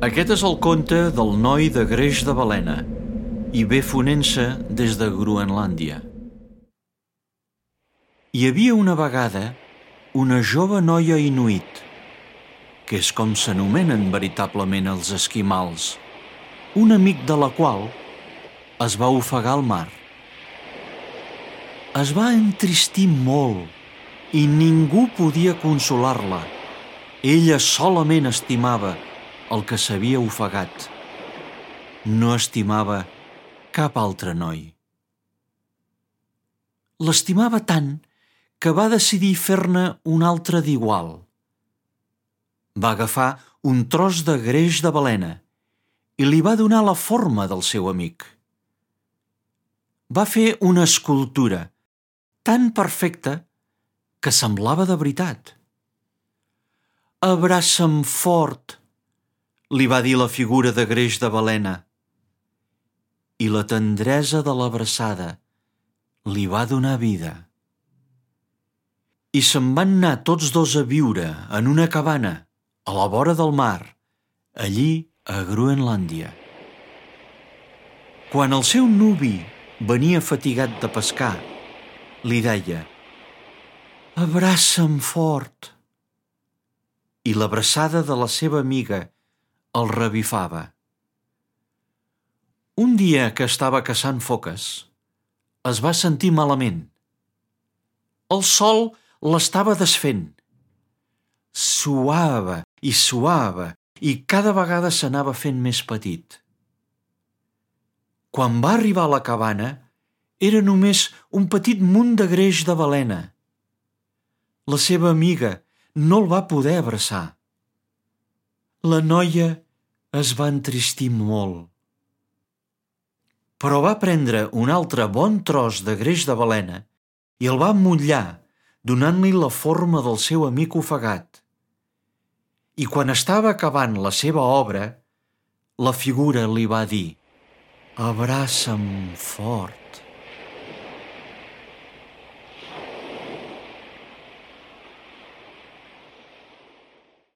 Aquest és el conte del noi de greix de balena i ve fonent-se des de Groenlàndia. Hi havia una vegada una jove noia inuit, que és com s'anomenen veritablement els esquimals, un amic de la qual es va ofegar al mar. Es va entristir molt i ningú podia consolar-la. Ella solament estimava el que s'havia ofegat. No estimava cap altre noi. L'estimava tant que va decidir fer-ne un altre d'igual. Va agafar un tros de greix de balena i li va donar la forma del seu amic. Va fer una escultura tan perfecta que semblava de veritat. «Abraça'm fort», li va dir la figura de greix de balena, i la tendresa de l'abraçada li va donar vida. I se'n van anar tots dos a viure en una cabana a la vora del mar, allí a Groenlàndia. Quan el seu nuvi venia fatigat de pescar, li deia «Abraça'm fort», i l'abraçada de la seva amiga el revifava. Un dia que estava caçant foques, es va sentir malament. El sol l'estava desfent. Suava i cada vegada s'anava fent més petit. Quan va arribar a la cabana, era només un petit munt de greix de balena. La seva amiga no el va poder abraçar. La noia es va entristir molt. Però va prendre un altre bon tros de greix de balena i el va emmotllar, donant-li la forma del seu amic ofegat. I quan estava acabant la seva obra, la figura li va dir «Abraça'm fort».